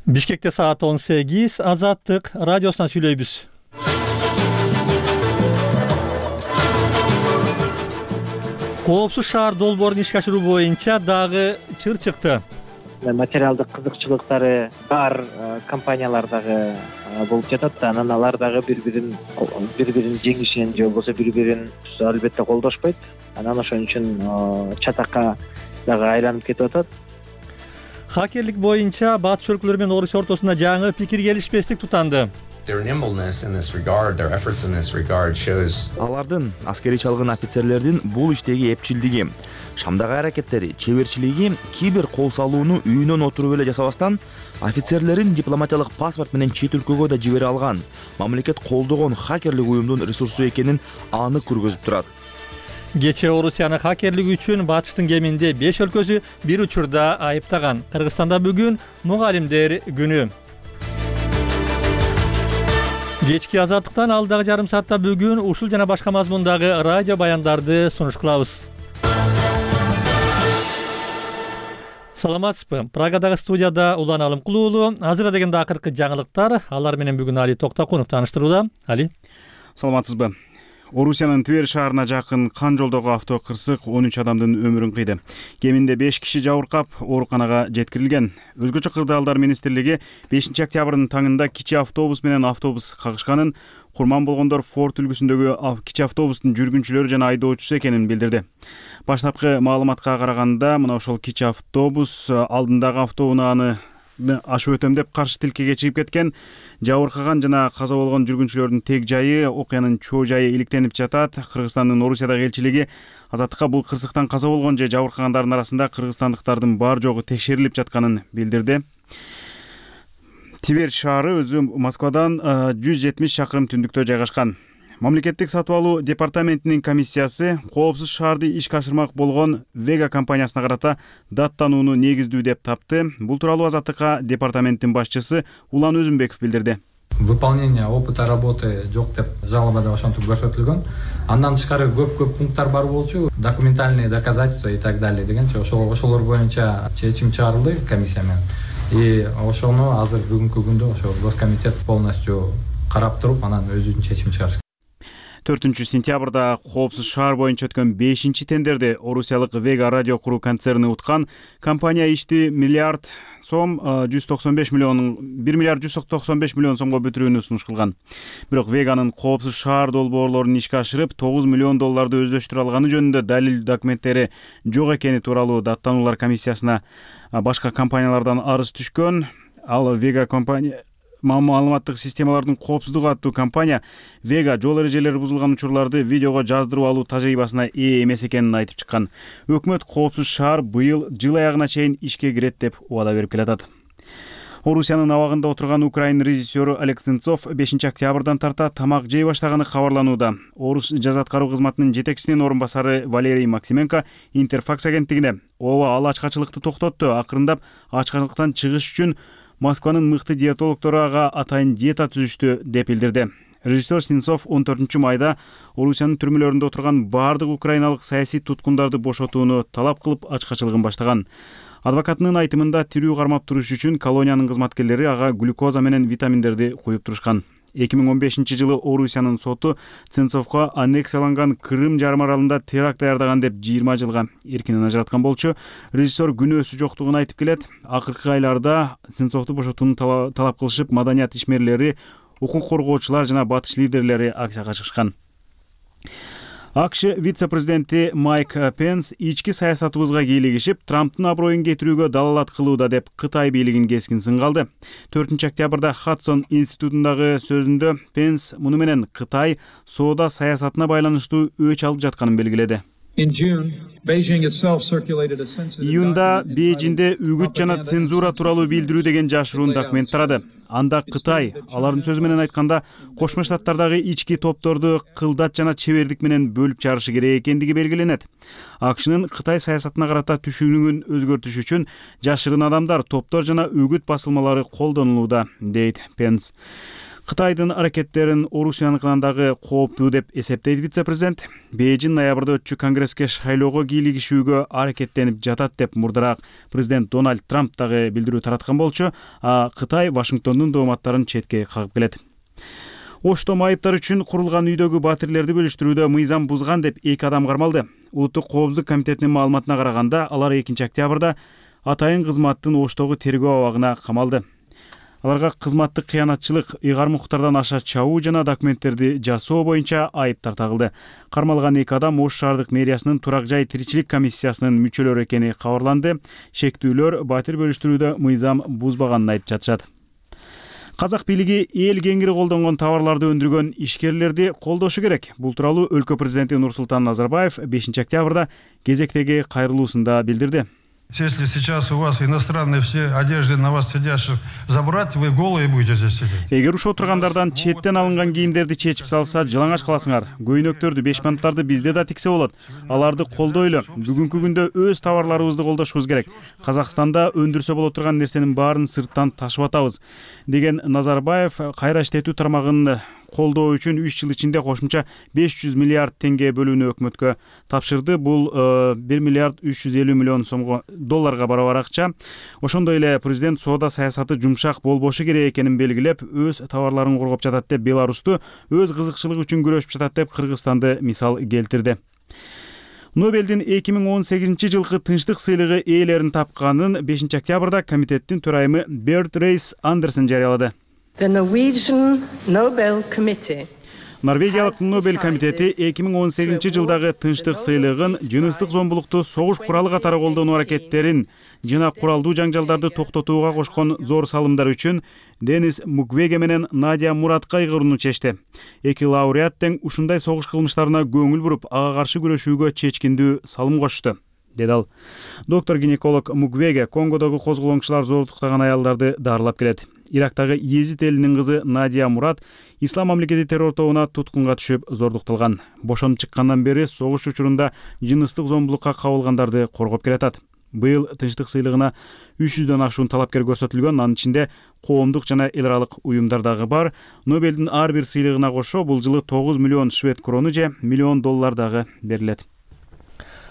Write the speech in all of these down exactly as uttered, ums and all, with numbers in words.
Бишкекте саат он сегиз, Азаттык радиосунан сүйлөйбүз. Коопсуз шаар долбоорун ишке ашыруу боюнча дагы чыр чыкты. Материалдык кызыкчылыктары бар компаниялар дагы болуп жатат да, анан алар дагы бири-бирин бири-бирин жеңишин же болбосо бири-бирин албетте колдошпойт. Анан ошон үчүн чатакка дагы айланып кетип атат. Хакерлик боюнча батыш өлкөлөр менен Орусия ортосунда жаңы пикир келишпестик тутанды. Алардын аскери чалгын офицерлердин бул иштеги эпчилдиги, Шамдагы аракеттери, чеберчилиги кий бир кол салууну үйүнөн отуруп эле жасабастан, офицерлерин дипломатиялык паспорт менен чет өлкөгө да жибере алган, мамлекет колдогон хакерлик уюмдун ресурсу экенин анык көргөзүп турат. Кечээ Орусияны хакерлик үчүн батыштын кеминде беш өлкөсү бир учурда айыптаган. Кыргызстанда бүгүн мугалимдер күнү. Кечки Азаттыктан алдагы жарым саатта бүгүн ушул жана башка мазмундагы радио баяндарды сунуш кылабыз. Саламатсызбы? Прагадагы студияда Улан Алымкулуулу. Азыр дегенде акыркы жаңылыктар. Алар менен бүгүн Али Токтакунов тааныштырууда. Али. Саламатсызбы? Орусиянын Тверь шаарына жакын Кан жолдогу авто кырсык он үч адамдын өмүрүн кыйды. Кеминде беш киши жабыркап, ооруканага жеткирилген. Өзгөчө кырдаалдар министрлиги бешинчи октябрдын таңында кичи автобус менен автобус кагышканын, курман болгондор Форд үлгүсүндөгү кичи автобустун жүргүнчүлөрү жана айдоочусу экенин билдирди. Баштапкы маалыматка караганда, мына ошол кичи автобус алдындагы автоунааны ашып өтөм деп каршы тилкеге чыгып кеткен. Жабыркаган жана каза болгон жүргүнчүлөрдүн тег жайы, окуянын чоо жайы иликтенип жатат. Кыргызстандын Орусиядагы элчилиги Азаттыкка бул кырсыктан каза болгон же жабыркагандардын арасында кыргызстандыктардын бар жогу текшерилип жатканын билдирди. Тверь шаары өзү Москвадан жүз жетимиш чакырым түндүктө жайгашкан. Мамлекеттик сатып алуу департаментинин комиссиясы коопсуз шаарды ишке ашырмак болгон Вега компаниясына карата даттанууну негиздүү деп тапты. Бул тууралуу Азаттыкка департаменттин башчысы Улан Өзүмбеков билдирди. Выполнение опыта работы жок деп жалобада ошентип көрсөтүлгөн. Андан тышкары көп-көп пункттар бар болчу, документальные доказательства и так далее дегенче ошол ошолор боюнча чечим чыгарылды комиссия менен. И ошону азыр бүгүнкү күндө ошо госкомитет полностью карап туруп, анан өзүнүн чечим чыгарышты. төртүнчү сентябрда коопсуз шаар боюнча өткөн бешинчи тендерди орусиялык Вега радио куруу концерни уткан. Компания ишти миллиард сом жүз токсон беш миллион бир миллиард жүз токсон беш миллион сомго бүтүрүүнү сунуш кылган. Бирок Веганын коопсуз шаар долбоорлорун ишке ашырып тогуз миллион долларды өздөштүрө алганы жөнүндө далил документтери жок экени тууралуу даттануулар комиссиясына башка компаниялардан арыз түшкөн. Ал Вега компания маалыматтык системалардын коопсуздугу аттуу компания Вега жол эрежелери бузулган учурларды видеого жаздырып алуу тажрыйбасына ээ эмес экенин айтып чыккан. Өкмөт коопсуз шаар быйыл жыл аягына чейин ишке кирет деп убада берип келатат. Орусиянын абагында отурган украин режиссеру Олег Сенцов бешинчи октябрдан тарта тамак жей баштаганы кабарланууда. Орус жаза аткаруу кызматынын жетекчисинин орун басары Валерий Максименко Интерфакс агенттигине ооба ал ачкачылыкты токтотту, акырындап ачкачылыктан чыгыш үчүн Москванын мыкты диетологдору ага атайын диета түзүштү деп билдирди. Режиссер Сенцов он төртүнчү майда Орусиянын түрмөлөрүндө отурган бардык украиналык саясий туткундарды бошотууну талап кылып ачкачылыгын баштаган. Адвокатынын айтымында тирүү кармап туруш үчүн колониянын кызматкерлери ага глюкоза менен витаминдерди куюп турушкан. эки миң он бешинчи жылы Орусиянын соту Сенцовго аннексияланган Крым жарым аралында теракт даярдаган деп жыйырма жылга эркинен ажыраткан болчу. Режиссер күнөөсү жоктугун айтып келет. Акыркы айларда Сенцовду бошотууну талап кылышып, маданият ишмерлери, укук коргоочулар жана батыш лидерлери акцияга чыгышкан. АКШ вице-президенти Майк Пенс ички саясатыбызга кийлигишип, Трамптын аброюн кетирүүгө далалат кылууда деп Кытай бийлигин кескин сынга алды. төртүнчү октябрда Хадсон институтундагы сөзүндө Пенс муну менен Кытай соода саясатына байланыштуу өч алып жатканын белгиледи. Июнда Бейжиңде үгүт жана цензура тууралуу билдирүү деген жашыруун документ тарады. Анда Кытай, алардын сөзү менен айтканда, Кошмо Штаттардагы ички топторду кылдат жана чебердик менен бөлүп чыгарышы керек экендиги белгиленет. АКШнын Кытай саясатына карата түшүнүгүн өзгөртүш үчүн жашырын адамдар, топтор жана үгүт басылмалары колдонулууда, дейт Пенс. Кытайдын аракеттерин Орусияныкынан дагы кооптуу деп эсептейт вице-президент. Бейжин ноябрда өтчү конгресске шайлоого кийлигишүүгө аракеттенип жатат деп мурдараак президент Дональд Трамп дагы билдирүү тараткан болчу, а Кытай Вашингтондун дооматтарын четке кагып келет. Оштом айыптар үчүн курулган үйдөгү батирлерди бөлүштүрүүдө мыйзам бузган деп эки адам кармалды. Улуттук коопсуздук комитетинин маалыматына караганда, алар экинчи октябрда атайын кызматтын Оштогу тергөө абагына камалды. Аларга кызматтык кыянатчылык, ыйгарым укуктардан аша чабуу жана документтерди жасоо боюнча айыптар тагылды. Кармалган эки адам Ош шаардык мэриясынын турак жай тиричилик комиссиясынын мүчөлөрү экени кабарланды. Шектүүлөр батир бөлүштүрүүдө мыйзам бузбаганын айтып жатышат. Казак бийлиги эл кеңири колдонгон товарларды өндүргөн ишкерлерди колдошу керек. Бул тууралуу өлкө президенти Нурсултан Назарбаев бешинчи октябрда кезектеги кайрылуусунда билдирди. Если сейчас у вас иностранные все одежды на вас сидящих забрать, вы голые будете здесь сидеть. Эгер ушо отургандардан четтен алынган кийимдерди чечип салса, жылаңач каласыңар. Көйнөктөрдү, бешманттарды бизде да тиксе болот. Аларды колдойлу. Бүгүнкү күндө өз товарларыбызды колдошубуз керек. Казакстанда өндүрсө боло турган нерсенин баарын сырттан ташып атабыз, деген Назарбаев кайра иштетүү тармагын колдоо үчүн үч жыл ичинде кошумча беш жүз миллиард теңге бөлүүнү өкмөткө тапшырды. Бул бир миллиард үч жүз элүү миллион сомго долларга барабар акча. Ошондой эле президент соода саясаты жумшак болбошу керек экенин белгилеп, өз товарларын коргоп жатат деп Беларусту, өз кызыкчылыгы үчүн күрөшүп жатат деп Кыргызстанды мисал келтирди. Нобелдин эки миң он сегизинчи жылкы тынчтык сыйлыгы ээлерин тапканын бешинчи октябрда комитеттин төрайымы Берт Рейс Андерсен жарыялады. The Norwegian Nobel Committee Норвегиялык Нобель комитети эки миң он сегизинчи жылдагы тынчтык сыйлыгын жыныстык зомбулукту согуш куралы катары колдонуу аракеттерин жана куралдуу жаңжалдарды токтотууга кошкон зор салымдар үчүн Денис Муквеге менен Надя Муратка ыйгарууну чечти. Эки лауреат тең ушундай согуш кылмыштарына көңүл буруп, ага каршы күрөшүүгө чечкиндүү салым кошту, деди ал. Доктор-гинеколог Муквеге Конгодогу козголоңчулар зордуктаган аялдарды дарылап келет. Ирактагы Езид элинин кызы Надия Мурат Ислам мамлекети террор тобуна туткунга түшүп зордукталган. Бошонуп чыккандан бери согуш учурунда жыныстык зомбулукка кабылгандарды коргоп келатат. Быйыл тынчтык сыйлыгына үч жүздөн ашуун талапкер көрсөтүлгөн, анын ичинде коомдук жана эл аралык уюмдар дагы бар. Нобелдин ар бир сыйлыгына кошо бул жылы тогуз миллион швед крону же миллион доллар дагы берилет.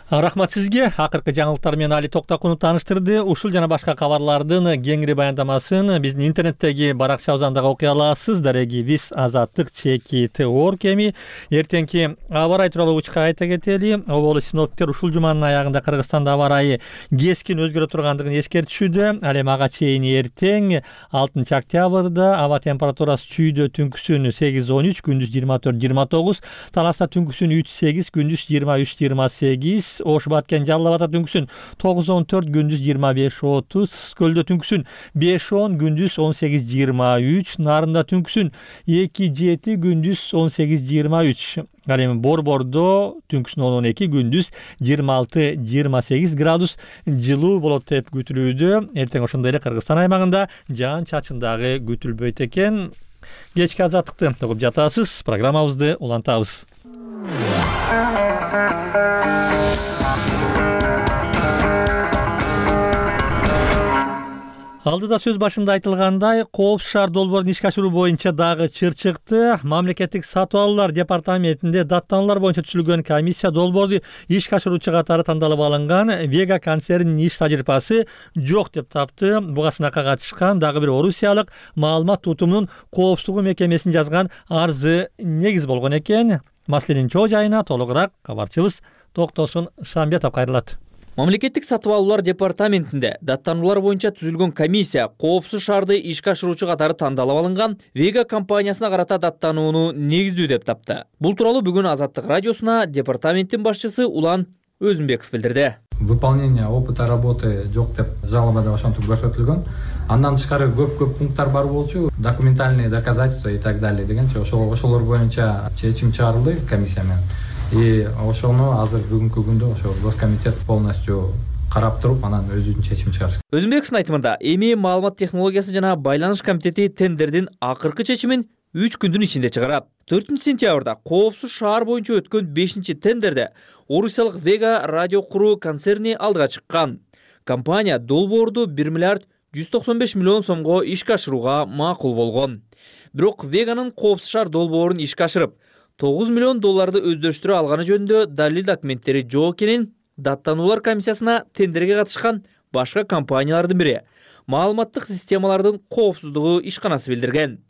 Рахмат сизге. Акыркы жаңылыктар менен Али Токтакунов тааныштырды. Ушул жана башка кабарлардын кеңири баяндамасын биздин интернеттеги баракчабыздан дагы окуй аласыз. Дареги биз азаттык чеки орг эми. Эртеңки аба ырайы тууралуу учка айта кетели. Оболу синоптиктер ушул жуманын аягында Кыргызстанда аба ырайы кескин өзгөрө тургандыгын эскертишүүдө. Ал эми ага чейин эртең алтынчы октябрда аба температурасы чүйдө түнкүсүн сегиз он үч, күндүз жыйырма төрт жыйырма тогуз, Таласта түнкүсүн үч сегиз, күндүз жыйырма үч жыйырма сегиз, Ош Баткен Жалал Абадта түнкүсүн тогуз он төрт, күндүз жыйырма беш отуз, Көлдө түнкүсүн беш он, күндүз он сегиз жыйырма үч, Нарында түнкүсүн эки жети, күндүз он сегиз жыйырма үч. Ал эми Борбордо түнкүсүн он он эки, күндүз жыйырма алты жыйырма сегиз градус жылуу болот деп күтүлүүдө. Эртең ошондой эле Кыргызстан аймагында жаан чачын дагы күтүлбөйт экен. Кечки азаттыкты угуп жатасыз. Программабызды улантабыз. Алдыда сөз башында айтылгандай, Коопсуз шаар долбоорун ишке ашыруу боюнча дагы чыр чыкты. Мамлекеттик сатып алуулар департаментинде даттануулар боюнча түзүлгөн комиссия долбоорду ишке ашыруучу катары тандалып алынган Вега концернинин иш тажрыйбасы жок деп тапты. Буга сынакка катышкан дагы бир орусиялык маалымат тутумунун коопсуздугу мекемесин жазган арызы негиз болгон экен. Маселенин чоо жайына толугураак кабарчыбыз Токтосун Шамбетов кайрылат. Мамлекеттик сатып алуулар департаментинде даттануулар боюнча түзүлгөн комиссия коопсуз шаарды ишке ашыруучу катары тандалып алынган Вега компаниясына карата даттанууну негиздүү деп тапты. Бул тууралуу бүгүн Азаттык радиосуна департаменттин башчысы Улан Өзүнбеков билдирди. Выполнение опыта работы жок деп жалобада ошентип көрсөтүлгөн. Андан тышкары көп-көп пункттар бар болчу, документальные доказательства и так далее дегенче ошолор боюнча чечим чыгарылды комиссия менен. И ошону азыр бүгүнкү күндө ошо Госкомитет полностью карап туруп, анан өзүнүн чечим чыгарыш. Өзүнбековдун айтымында, эми маалымат технологиясы жана байланыш комитети тендердин акыркы чечимин үч күндүн ичинде чыгарат. төртүнчү сентябрда Коопсуз шаар боюнча өткөн бешинчи тендерде орусиялык Вега радио куруу концерни алдыга чыккан. Компания долбоорду бир миллиард жүз токсон беш миллион сомго ишке ашырууга макул болгон. Бирок Веганын коопсуз шаар долбоорун ишке ашырып, тогуз миллион долларды өздөрүштүрө алганы жөнүндө далил документтери жок экенин даттануулар комиссиясына тендерге катышкан башка компаниялардын бири маалыматтык системалардын коопсуздугу ишканасы билдирген.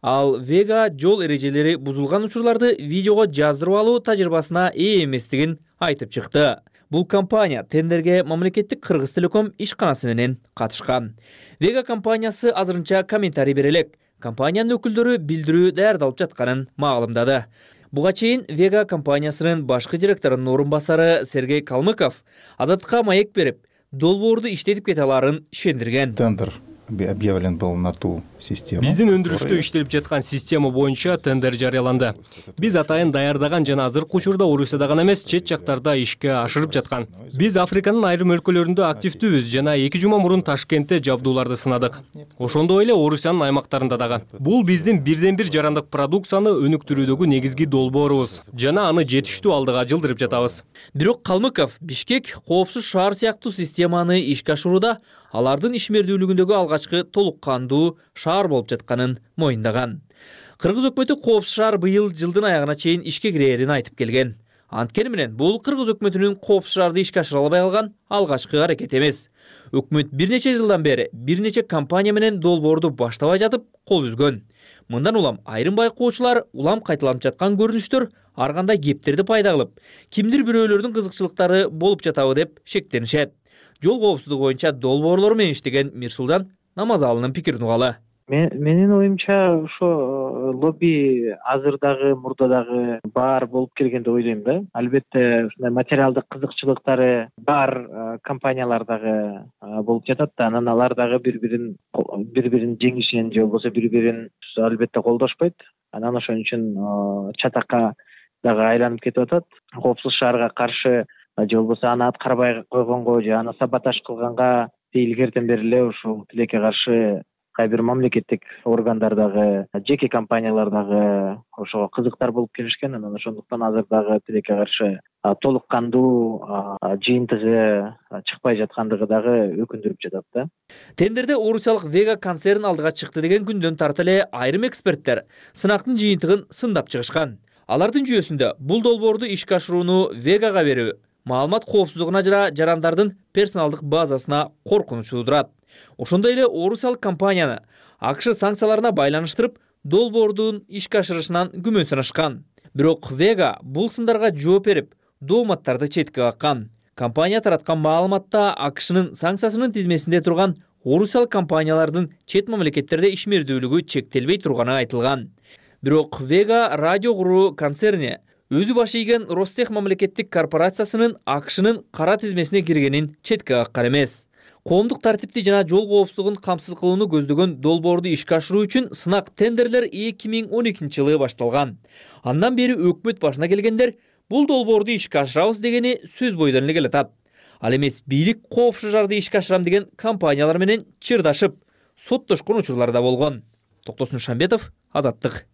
Ал Вега жол эрежелери бузулган учурларды видеого жаздырып алуу тажрыйбасына ээ эместигин айтып чыкты. Бул компания тендерге мамлекеттик Кыргыз Телеком ишканасы менен катышкан. Вега компаниясы азырынча комментарий бере элек. Компаниянын өкүлдөрү билдирүү даярдалып жатканын маалымдады. Буга чейин Вега компаниясынын башкы директорунун орун басары Сергей Калмыков Азаттыкка маек берип, долбоорду иштетип кете аларын ишендирген. Тендер объявлен был на ту систему. Биздин өндүрүштө иштелип жаткан система боюнча тендер жарыяланды. Биз атайын даярдаган жана азыркы учурда Орусияда гана эмес, чет жактарда ишке ашырып жаткан. Биз Африканын айрым өлкөлөрүндө активдүүбүз жана эки жума мурун Ташкентте жабдууларды сынадык. Ошондой эле Орусиянын аймактарында дагы. Бул биздин бирден бир жарандык продукцияны өнүктүрүүдөгү негизги долбоорубуз жана аны жетиштүү алдыга жылдырып жатабыз. Бирок Калмыков Бишкек коопсуз шаар сыяктуу системаны ишке ашырууда алардын ишмердүүлүгүндөгү алгачкы толук кандуу шаар болуп жатканын моюндаган. Кыргыз өкмөтү коопсуз шаар быйыл жылдын аягына чейин ишке кирээрин айтып келген. Анткени менен бул Кыргыз өкмөтүнүн коопсуз шаарды ишке ашыра албай калган алгачкы аракети эмес. Өкмөт бир нече жылдан бери бир нече компания менен долбоорду баштабай жатып кол үзгөн. Мындан улам айрым байкоочулар улам кайталанып жаткан көрүнүштөр ар кандай кептерди пайда кылып, кимдир бирөөлөрдүн кызыкчылыктары болуп жатабы деп шектенишет. Жол коопсуздугу боюнча долбоорлор менен иштеген Мирсултан Намазалынын пикирин угалы. Менин оюмча ошо лобби азыр дагы мурда дагы бар болуп келген деп ойлойм да. Албетте ушундай материалдык кызыкчылыктары бар компаниялар дагы болуп жатат да, анан алар дагы бири-бирин бири-бирин жеңишин же болбосо бири-бирин албетте колдошпойт. Анан ошон үчүн чатакка дагы айланып кетип атат. Коопсуз шаарга каршы же болбосо аны аткарбай койгонго же аны саботаж кылганга илгертен бери эле ушул тилекке каршы кайбир мамлекеттик органдар дагы, жеке компаниялар дагы ошого кызыктар болуп келишкен. Анан ошондуктан азыр дагы тилекке каршы толук кандуу жыйынтыгы чыкпай жаткандыгы дагы өкүндүрүп жатат да. Тендерде орусиялык Вега концерн алдыга чыкты деген күндөн тарта эле айрым эксперттер сынактын жыйынтыгын сындап чыгышкан. Алардын жүйөсүндө бул долбоорду ишке ашырууну Вегага берүү маалымат коопсуздугуна жана жарандардын персоналдык базасына коркунуч туудурат. Ошондой эле орусиялык компанияны АКШ санкцияларына байланыштырып, долбоордун ишке ашырышынан күмөн санашкан. Бирок Вега бул сындарга жооп берип, дооматтарды четке каккан. Компания тараткан маалыматта АКШнын санкциясынын тизмесинде турган орусиялык компаниялардын чет мамлекеттерде ишмердүүлүгү чектелбей турганы айтылган. Бирок Вега радио куруу концерни өзү баш ийген Ростех мамлекеттик корпорациясынын АКШнын кара тизмесине киргенин четке каккан эмес. Коомдук тартипти жана жол коопсуздугун камсыз кылууну көздөгөн долбоорду ишке ашыруу үчүн сынак тендерлер эки миң он экинчи жылы башталган. Андан бери өкмөт башына келгендер бул долбоорду ишке ашырабыз дегени сөз бойдон эле келатат. Ал эмес бийлик коопсуз шаарды ишке ашырам деген компаниялар менен чырдашып, соттошкон учурлар да болгон. Токтосун Шамбетов, Азаттык.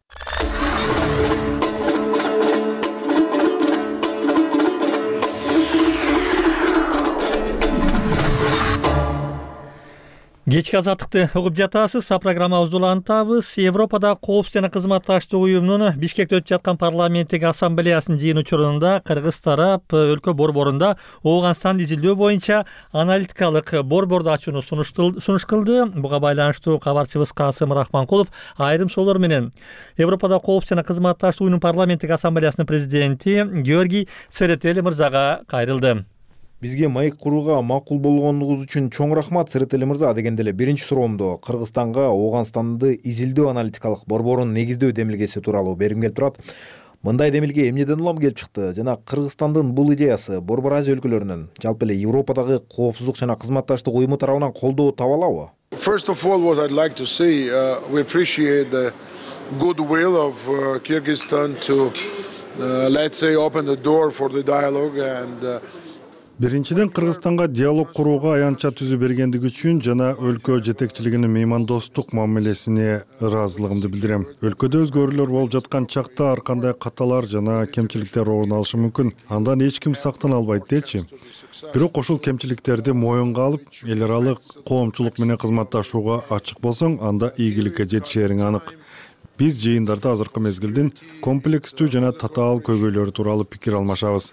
Кечки азаттыкты угуп жатасыз. Программабызды улантабыз. Европада коопсуз жана кызматташтык уюмунун Бишкекте өтүп жаткан парламенттик ассамблеясынын жыйын учурунда кыргыз тарап өлкө борборунда Ооганстанды изилдөө боюнча аналитикалык борборду ачууну сунуш кылды. Буга байланыштуу кабарчыбыз Касым Рахманкулов айрым суроолор менен Европада коопсуз жана кызматташтык уюмунун парламенттик ассамблеясынын президенти Георгий Церетели мырзага кайрылды. Бизге маек курууга макул болгонуңуз үчүн чоң рахмат, Церетели мырза. Дегенде эле биринчи суроомду Кыргызстанга Ооганстанды изилдөө аналитикалык борборун негиздөө демилгеси тууралуу бергим келип турат. Мындай демилге эмнеден улам келип чыкты жана Кыргызстандын бул идеясы Борбор Азия өлкөлөрүнүн, жалпы эле Европадагы коопсуздук жана кызматташтык уюму тарабынан колдоо таба алабы? First of all, what I'd like to say, uh, we appreciate the goodwill of uh, Kyrgyzstan to, uh, let's say, open the door for the dialogue and uh, Биринчиден, Кыргызстанга диалог курууга аянтча түзү бергендиги үчүн жана өлкө жетекчилигинин меймандостук мамилесине ыраазылыгымды билдирем. Өлкөдө өзгөрүүлөр болуп жаткан чакта ар кандай каталар жана кемчиликтер орун алышы мүмкүн. Андан эч ким сактана албайт дечи. Бирок ошол кемчиликтерди моюнга алып, эл аралык коомчулук менен кызматташууга ачык болсоң, анда ийгиликке жетишериң анык. Биз жыйындарда азыркы мезгилдин комплекстүү жана татаал көйгөйлөрү тууралуу пикир алмашабыз.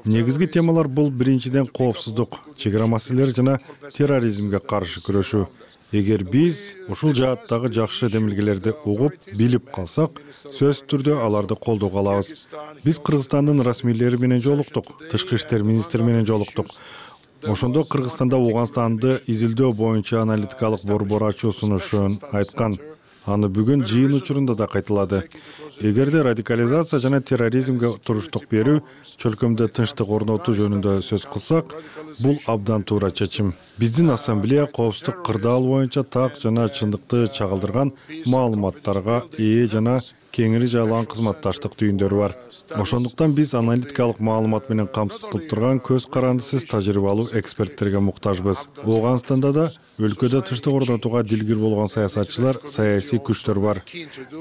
Негизги темалар бул биринчиден коопсуздук, чек ара маселелери жана терроризмге каршы күрөшүү. Эгер биз ушул жааттагы жакшы демилгелерди угуп, билип калсак, сөзсүз түрдө аларды колдоого алабыз. Биз Кыргызстандын расмийлери менен жолуктук, тышкы иштер министри менен жолуктук. Ошондо Кыргызстанда Ооганстанды изилдөө боюнча аналитикалык борбор ачуу сунушун айткан. Аны бүгүн жыйын учурунда да кайталады. Эгерде радикализация жана терроризмге туруштук берүү, чөлкөмдө тынчтык орнотуу жөнүндө сөз кылсак, бул абдан туура чечим. Биздин ассамблея коопсуздук кырдаал боюнча так жана чындыкты чагылдырган маалыматтарга ээ жана кеңири жайылган кызматташтык түйүндөрү бар. Ошондуктан биз аналитикалык маалымат менен камсыз кылып турган көз карандысыз тажрыйбалуу эксперттерге муктажбыз. Ооганстанда да өлкөдө тынчтык орнотууга дилгир болгон саясатчылар, саясий күчтөр бар.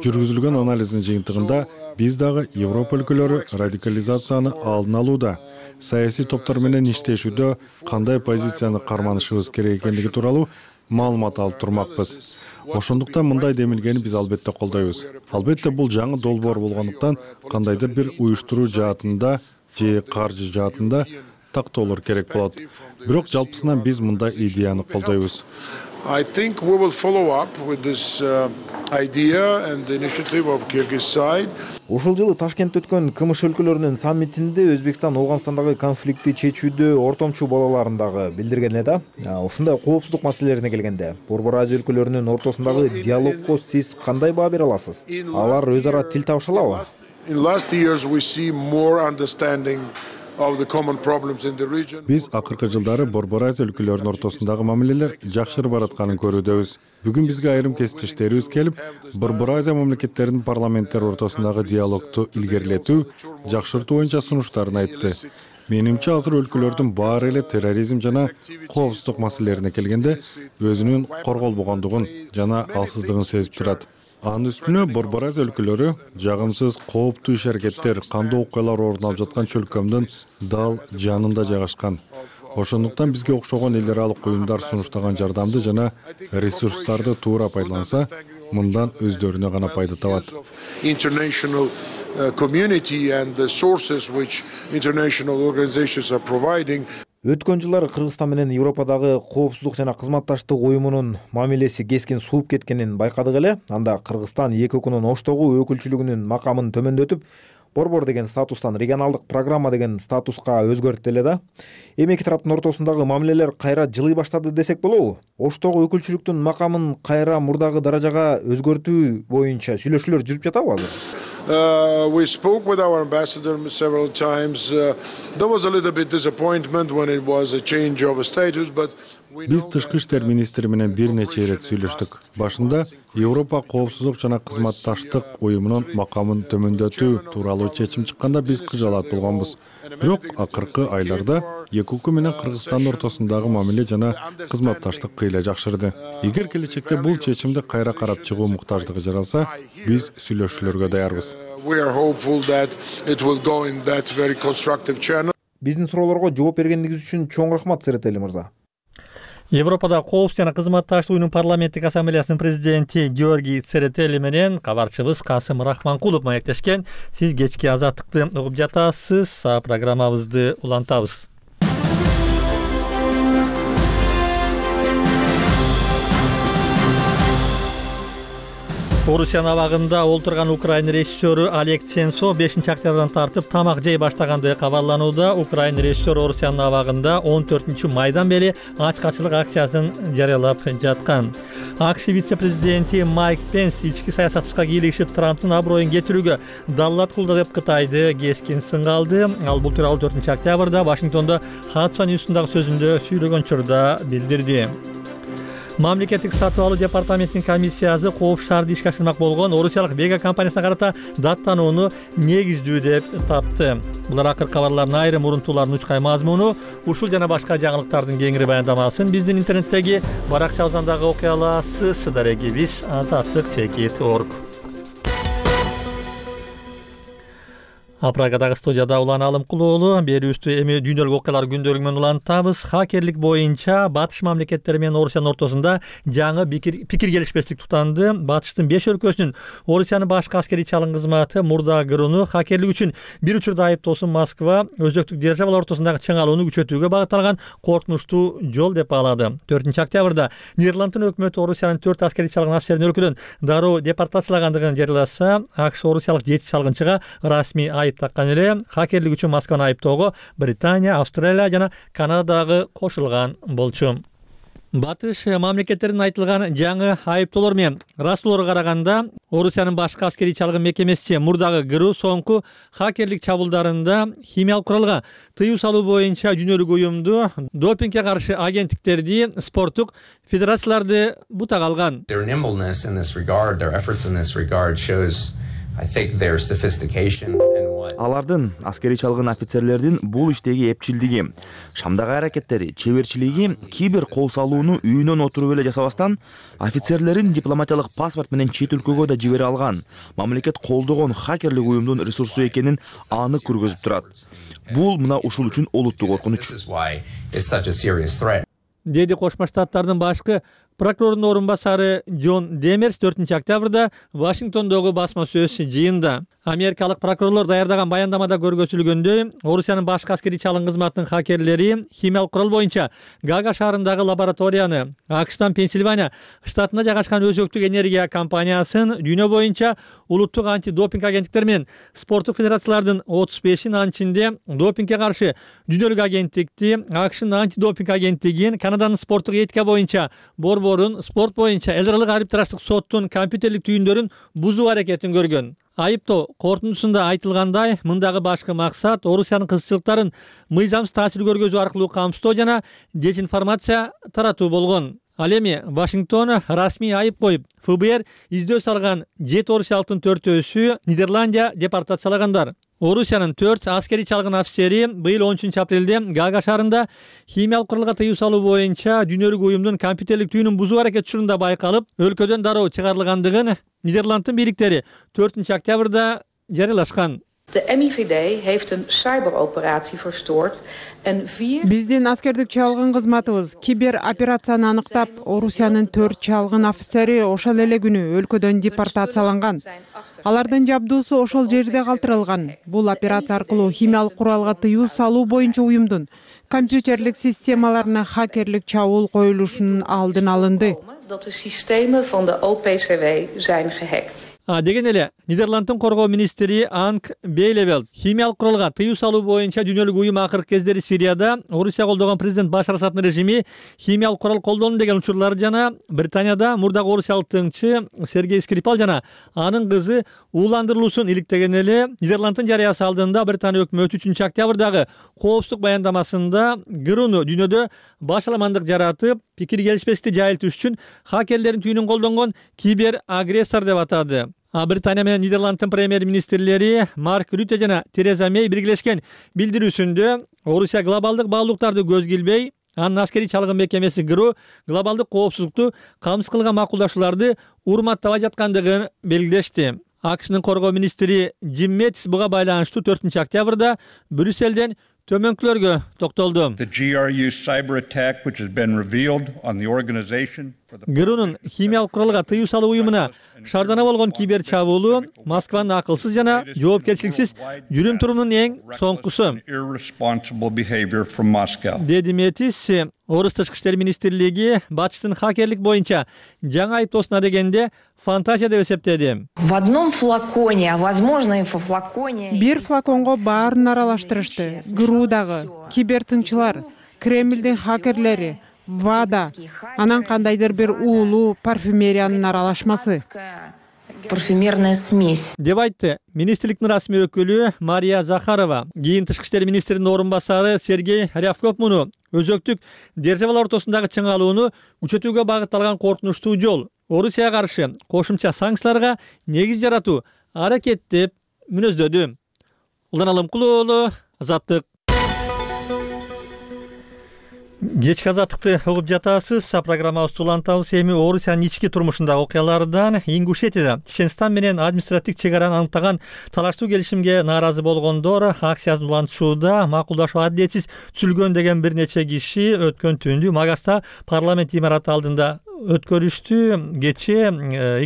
Жүргүзүлгөн анализдин жыйынтыгында биз дагы Европа өлкөлөрү радикализацияны алдын алууда, саясий топтор менен иштешүүдө кандай позицияны карманышыбыз керек экендиги тууралуу маалымат алып турмакпыз. Ошондуктан мындай демилгени биз албетте колдойбуз. Албетте бул жаңы долбоор болгондуктан кандайдыр бир уюштуруу жаатында же каржы жаатында тактоолор керек болот. Бирок жалпысынан биз мындай идеяны колдойбуз. I think we will follow up with this uh, idea and the initiative of Kyrgyz side. Ушул жылы Ташкентте өткөн КМШ өлкөлөрүнүн саммитинде Өзбекстан Ооганстандагы конфликтти чечүүдө ортомчу бололарын дагы билдирген эле да. Ушундай коопсуздук маселелерине келгенде, Борбор Азия өлкөлөрүнүн ортосундагы диалогго сиз кандай баа бере аласыз? Алар өз ара тил табыша алабы? In last years we see more understanding of the common problems in the region. Биз акыркы жылдары Борбор Азия өлкөлөрүнүн ортосундагы мамилелер жакшырып баратканын көрүүдөбүз. Бүгүн бизге айрым кесиптештерибиз келип, Борбор Азия мамлекеттеринин парламенттери ортосундагы диалогду илгерилетүү, жакшыртуу боюнча сунуштарын айтты. Менимче азыр өлкөлөрдүн баары эле терроризм жана коопсуздук маселелерине келгенде өзүнүн корголбогондугун жана алсыздыгын сезип турат. Анын үстүнө Борбор Азия өлкөлөрү жагымсыз кооптуу иш-аракеттер, кандуу окуялар орун алып жаткан чөлкөмдүн дал жанында жайгашкан. Ошондуктан бизге окшогон эл аралык уюмдар сунуштаган жардамды жана ресурстарды туура пайдаланса, мындан өздөрүнө гана пайда табат. International community and the sources which international organizations are providing. Өткөн жылдары Кыргызстан менен Европадагы коопсуздук жана кызматташтык уюмунун мамилеси кескин сууп кеткенин байкадык эле. Анда Кыргызстан эки укунун Оштогу өкүлчүлүгүнүн макамын төмөндөтүп, борбор деген статустан регионалдык программа деген статуска өзгөрттү эле да. Эми эки тараптын ортосундагы мамилелер кайра жылый баштады десек болобу? Оштогу өкүлчүлүктүн макамын кайра мурдагы даражага өзгөртүү боюнча сүйлөшүүлөр жүрүп жатабы азыр? Uh, we spoke with our ambassador several times. Uh, there was a little bit disappointment when it was a change of status, but Биз тышкы иштер министри менен бир нече ирет сүйлөштүк. Башында Европа коопсуздук жана кызматташтык уюмунун макамын төмөндөтүү тууралуу чечим чыкканда биз кыжалат болгонбуз. Бирок акыркы айларда эки укук менен Кыргызстандын ортосундагы мамиле жана кызматташтык кыйла жакшырды. Эгер келечекте бул чечимди кайра карап чыгуу муктаждыгы жаралса, биз сүйлөшүүлөргө даярбыз. We are hopeful that it will go in that very constructive channel. Биздин суроолорго жооп бергениңиз үчүн чоң рахмат, Церетели мырза. Европада коопсуздук жана кызматташтык уюмунун парламенттик ассамблеясынын президенти Георгий Церетели менен кабарчыбыз Касым Рахманкулов маектешкен. Сиз кечки азаттыкты угуп жатасыз. Программабызды улантабыз. Орусиянын абагында олтурган Украина режиссеру Олег Сенцов бешинчи октябрдан тартып тамак жей баштагандыгы кабарланууда. Украина режиссеру Орусиянын абагында он төртүнчү майдан бери ачкачылык акциясын жарыялап жаткан. АКШ вице-президенти Майк Пенс ички саясатчыга кийлигишип Трамптын аброюн кетирүүгө даллат кылды деп Кытайды кескин сынга алды. Ал бул тууралуу төртүнчү октябрда Вашингтондо Хадсон Ньюстундагы сөзүндө сүйлөгөн учурда билдирди. Мамлекеттик сатып алуу департаментинин комиссиясы Коопсуз шаарды ишке ашырмак болгон орусиялык Вега компаниясына карата даттанууну негиздүү деп тапты. Булар акыркы кабарлардын айрым урунтууларынын учкай мазмуну. Ушул жана башка жаңылыктардын кеңири баяндамасын биздин интернеттеги баракчабыздан дагы окуй аласыз. Дарегибиз азаттык чекит точка орг. Апрагадагы студияда Улан Алымкулуулу берүүбүздү эми дүйнөлүк окуялар күндөлүгү менен улантабыз. Хакерлик боюнча Батыш мамлекеттери менен Орусиянын ортосунда жаңы пикир келишпестик тутанды. Батыштын беш өлкөсүнүн Орусиянын башкы аскерий чалгын кызматы мурда кырууну хакерлик үчүн бир учурда айыптоосун Москва өзөктүк державалар ортосундагы чыңалууну күчөтүүгө багытталган коркунучтуу жол деп баалады. төртүнчү октябрда Нидерланддын өкмөтү Орусиянын төрт аскерий чалгын офицерин өлкөдөн дароо депортациялагандыгын жарыяласа, АКШ орусиялык жети чалгынчыга расмий айып таккан эле. Хакерлик үчүн Москваны айыптоого Британия, Австралия жана Канададагы кошулган болчу. Батыш мамлекеттеринин айтылган жаңы айыптоолор менен ырастууларга караганда Орусиянын башкы аскерий чалгын мекемеси мурдагы кыруу соңку хакерлик чабуулдарында химиялык куралга тыюу салуу боюнча дүйнөлүк уюмду, допингге каршы агенттиктерди, спорттук федерацияларды бутак алган. Алардын аскерий чалгын офицерлердин бул иштеги эпчилдиги, Шамдагы аракеттери, чеберчилиги кий бир кол салууну үйүнөн отуруп эле жасабастан, офицерлерин дипломатиялык паспорт менен чет өлкөгө да жибере алган, мамлекет колдогон хакерлик уюмдун ресурсу экенин анык көргөзүп турат. Бул мына ушул үчүн олуттуу коркунуч. Деди Кошмо Штаттардын башкы прокурорунун орун басары Джон Демерс төртүнчү октябрда Вашингтондогу басма сөз жыйында. Америкалык прокурорлор даярдаган баяндамада көргөзүлгөндөй, Орусиянын башкы аскерий чалгын кызматынын хакерлери химиялык курал боюнча Гага шаарындагы лабораторияны, АКШтан Пенсильвания штатында жайгашкан өзөктүк энергия компаниясын, дүйнө боюнча улуттук антидопинг агенттиктери менен спорттук федерациялардын отуз бешин анчинде допингге каршы дүйнөлүк агенттикти, АКШнын антидопинг агенттигин, Канаданын спорттук этика боюнча борборун, спорт боюнча эл аралык арбитраждык соттун компьютерлик түйүндөрүн бузуу аракетин көргөн. Айыптоо корутундусунда айтылгандай, мындагы башкы максат Орусиянын кызыкчылыктарын мыйзамсыз таасир көргөзүү аркылуу камсыздоо жана дезинформация таратуу болгон. Ал эми Вашингтон расмий айып коюп, ФБР издөө салган жети орусиялыктын төртөөсү Нидерландия депортациялагандар. Орусиянын төрт аскерий чалгын офицери быйыл он үчүнчү апрелде Гага шаарында химиялык куралга тыюу салуу боюнча дүйнөлүк уюмдун компьютерлик түйүнүн бузуу аракети учурунда байкалып, өлкөдөн дароо чыгарылгандыгын Нидерланддын бийликтери төртүнчү октябрда жарыялашкан. De M I V D heeft een cyberoperatie verstoord en vier... Биздин аскердик чалгын кызматыбыз кибер операцияны аныктап, Орусиянын төрт чалгын офицери ошол эле күнү өлкөдөн депортацияланган. Алардын жабдуусу ошол жерде калтырылган. Бул операция аркылуу химиялык куралга тыюу салуу боюнча уюмдун компьютерлик системаларына хакерлик чабуул коюлушунун алдын алынды. Dat de systemen van de O P C W zijn gehackt. А деген эле Нидерланддын коргоо министри Анк Бейлевелд химиялык куралга тыюу салуу боюнча дүйнөлүк уюм акыркы кездери Сирияда Орусия колдогон президент Башар Асаддын режими химиялык курал колдону деген учурлар жана Британияда мурдагы орусиялык тыңчы Сергей Скрипал жана анын кызы ууландырылуусун иликтеген эле. Нидерланддын жарыясы алдында Британия өкмөтү үчүнчү октябрдагы коопсуздук баяндамасында кырууну дүйнөдө башаламандык жаратып, пикир келишпестикти жайылтыш үчүн хакерлердин түйүнүн колдонгон кибер агрессор деп атады. А Британия менен Нидерланддын премьер-министрлери Марк Рюте жана Тереза Мей биргелешкен билдирүүсүндө Орусия глобалдык баалуулуктарды көз килбей, анын аскерий чалгын мекемеси кыруу глобалдык коопсуздукту камсыз кылган макулдашууларды урматтабай жаткандыгын белгилешти. АКШнын коргоо министри Джим Меттис буга байланыштуу төртүнчү октябрда Брюсселден төмөнкүлөргө токтолду. Кыруунун химиялык куралга тыюу салуу уюмуна шаардана болгон кибер чабуулу Москванын акылсыз жана жоопкерчиликсиз жүрүм турумунун эң соңкусу, деди Метис. Орус тышкы иштер министрлиги Батыштын хакерлик боюнча жаңы айыптоосуна дегенде фантазия деп эсептеди. В одном флаконе, а возможно и во флаконе. Бир флаконго баарын аралаштырышты. Гыруудагы кибертыңчылар, Кремлдин хакерлери, ВАДА, анан кандайдыр бир уулуу парфюмериянын аралашмасы. парфюмерная смесь деп айтты министрликтин расмий өкүлү Мария Захарова. Кийин тышкы иштер министринин орун басары Сергей Рявков муну өзөктүк державалар ортосундагы чыңалууну күчөтүүгө багытталган коркунучтуу жол, Орусияга каршы кошумча санкцияларга негиз жаратуу аракет деп мүнөздөдү. Улан Алымкулуу, Азаттык. Кечки азаттыкты угуп жатасыз. Программабызды улантабыз. Эми Орусиянын ички турмушундагы окуялардан Ингушетияда Чеченстан менен административдик чек араны аныктаган талаштуу келишимге нааразы болгондор акциясын улантышууда макулдашуу адилетсиз түзүлгөн деген бир нече киши өткөн түндү Магаста парламент имараты алдында өткөрүштү. Кечээ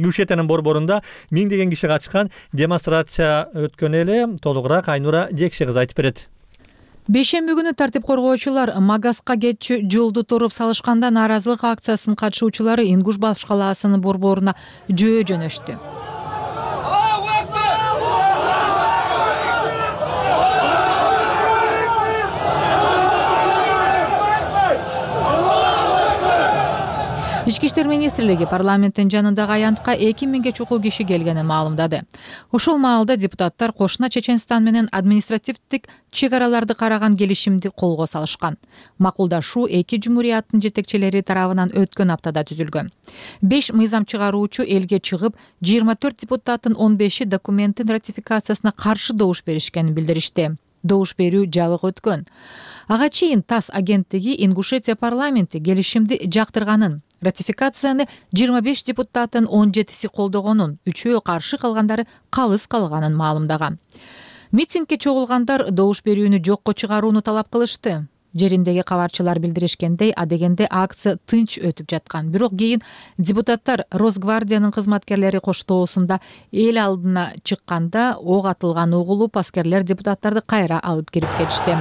Ингушетиянын борборунда миңдеген киши катышкан демонстрация өткөн эле. Толугураак Айнура Жекше кызы айтып берет. Бейшемби күнү тартип коргоочулар Магаска кетчү жолду туруп салышканда нааразылык акциясынын катышуучулары Ингуш башкалаасынын борборуна жөө жөнөштү. Ички иштер министрлиги парламенттин жанындагы аянтка эки миңге чукул киши келгенин маалымдады. Ошол маалда депутаттар кошуна Чеченстан менен административдик чек араларды караган келишимди колго салышкан. Макулдашуу эки жумурияттын жетекчилери тарабынан өткөн аптада түзүлгөн. беш мыйзам чыгаруучу элге чыгып, жыйырма төрт депутаттын он беши документтин ратификациясына каршы добуш беришкенин билдиришти. Добуш берүү жабык өткөн. Ага чейин ТАСС агенттиги Ингушетия парламенти келишимди жактырганын, ратификацияны жыйырма беш депутаттын он жетиси колдогонун, үчөө каршы калгандары калыс калганын маалымдаган. Митингге чогулгандар добуш берүүнү жокко чыгарууну талап кылышты. Жериндеги кабарчылар билдиришкендей, адегенде акция тынч өтүп жаткан. Бирок кийин депутаттар Росгвардиянын кызматкерлери коштоосунда эл алдына чыкканда ок атылган угулуп, аскерлер депутаттарды кайра алып кирип кетишти.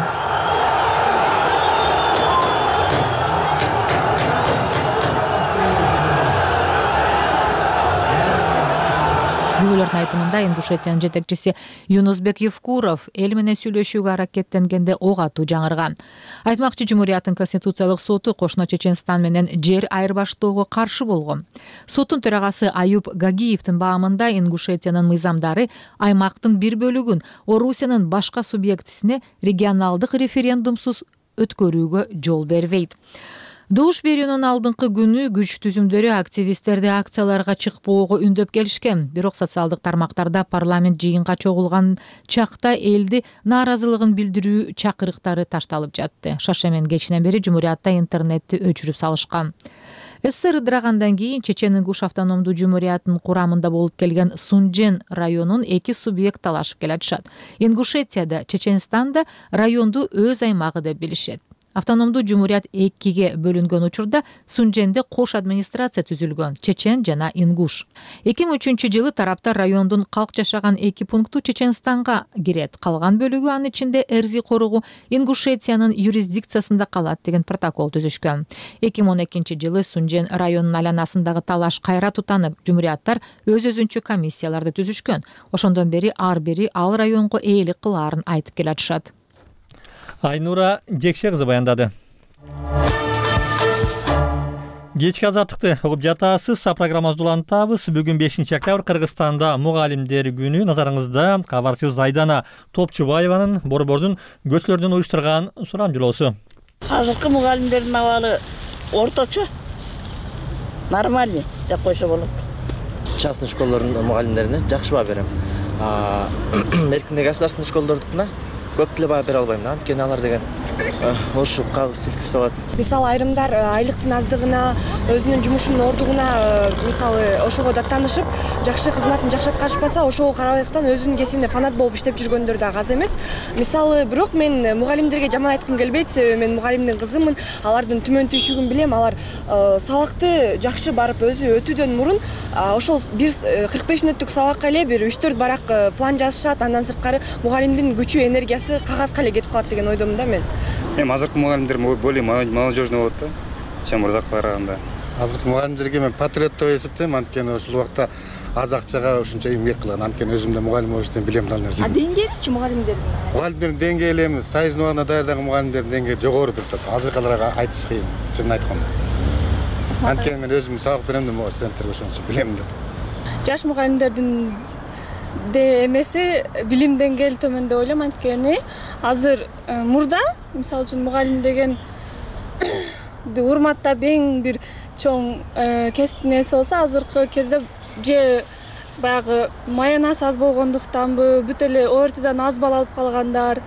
Күбөлөрдүн айтымында Ингушетиянын жетекчиси Юнусбек Евкуров эл менен сүйлөшүүгө аракеттенгенде ок атуу жаңырган. Айтмакчы, Жумурияттын Конституциялык соту кошуна Чеченстан менен жер айырбаштоого каршы болгон. Соттун төрагасы Аюб Гагиевдин баамында Ингушетиянын мыйзамдары аймактын бир бөлүгүн Орусиянын башка субъектисине регионалдык референдумсуз өткөрүүгө жол бербейт. Добуш берүүнүн алдыңкы күнү күч түзүмдөрү активисттерди акцияларга чыкпоого үндөп келишкен. Бирок социалдык тармактарда парламент жыйынга чогулган чакта элди нааразылыгын билдирүү чакырыктары ташталып жатты. Шашамен кечинен бери Жумуриятта интернетти өчүрүп салышкан. СССР ыдырагандан кийин Чечен Ингуш автономдуу жумуриятынын курамында болуп келген Сунжен районун эки субъект талашып келатышат. Ингушетияда, Чеченстанда районду өз аймагы деп билишет. Автономдуу жумурият экиге бөлүнгөн учурда Сунженде кош администрация түзүлгөн, Чечен жана Ингуш. эки миң үчүнчү жылы тараптар райондун калк жашаган эки пункту Чеченстанга кирет, калган бөлүгү анын ичинде Эрзи коругу Ингушетиянын юрисдикциясында калат деген протокол түзүшкөн. эки миң он экинчи жылы Сунжен районунун айланасындагы талаш кайра тутанып, жумурияттар өз-өзүнчө комиссияларды түзүшкөн. Ошондон бери ар бири ал районго ээлик кылаарын айтып келатышат. Айнура Жекше кызы баяндады. Кечки азаттыкты угуп жатасыз. Программабызды улантабыз. Бүгүн бешинчи октябрь Кыргызстанда мугалимдер күнү. Назарыңызда кабарчыбыз Айдана Топчубаеванын борбордун көчөлөрдөн уюштурган сурамжылоосу. Азыркы мугалимдердин абалы орточо, нормальный деп койсо болот. Частный школдордун мугалимдерине жакшы баа берем. Эркиндеги государственный школдордукуна көп деле баа бере албайм. Анткени алар деген ошо калып силкип салат. Мисалы айрымдар айлыктын аздыгына, өзүнүн жумушунун ордугуна, мисалы ошого даттанышып, жакшы кызматын жакшы аткарышпаса, ошого карабастан өзүнүн кесибинде фанат болуп иштеп жүргөндөр да аз эмес. Мисалы, бирок мен мугалимдерге жаман айткым келбейт, себеби мен мугалимдин кызымын, алардын түмөн түйшүгүн билем, алар сабакты жакшы барып өзү өтүүдөн мурун ошол бир кырк беш мүнөттүк сабакка эле бир үч төрт барак план жазышат, андан сырткары мугалимдин күчү, энергиясы кагазга эле кетип калат деген ойдомун да мен. Эми азыркы мугалимдер более молодежный болот да, чем мурдакыга караганда. Азыркы мугалимдерге мен патриот деп эсептейм, анткени ошол убакта аз акчага ушунча эмгек кылган, анткени өзүм да мугалим болуп иштеп билем ал нерсени. А деңгээличи мугалимдердин? Мугалимдердин деңгээли эми союздун убагында даярдаган мугалимдердин деңгээли жогору бир топ. Азыркыларга айтыш кыйын, чынын айтканда. Анткени мен өзүм сабак берем да студенттерге ошон үчүн билем да. жаш мугалимдердин де эмеси билим деңгээли төмөн деп ойлойм. Анткени азыр мурда мисалы үчүн мугалим деген урматтап эң бир чоң кесиптин ээси болсо, азыркы кезде же баягы маянасы аз болгондуктанбы, бүт эле О Р Т'дан аз балл алып калгандар,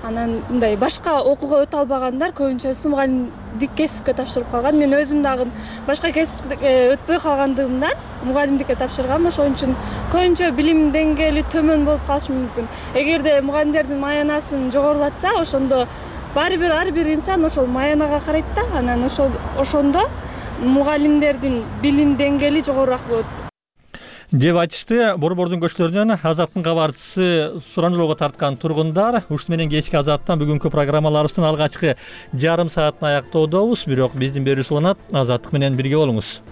анан мындай башка окууга өтө албагандар көбүнчөсү мугалимдик кесипке тапшырып калган. Мен өзүм дагы башка кесипке өтпөй калгандыгымдан мугалимдикке тапшыргам. Ошон үчүн көбүнчө билим деңгээли төмөн болуп калышы мүмкүн. Эгерде мугалимдердин маянасын жогорулатса, ошондо баары бир ар бир инсан ошол маянага карайт да, анан ошол ошондо мугалимдердин билим деңгээли жогорураак болот деп айтышты. Борбордун көчөлөрүнөн Азаттын кабарчысы сурануулоого тарткан тургундар. Ушун менен кечки Азаттан бүгүнкү программаларыбыздын алгачкы жарым саатын аяктоодобуз. Бирок биздин берүүбүз уланат. Азаттык менен бирге болуңуз.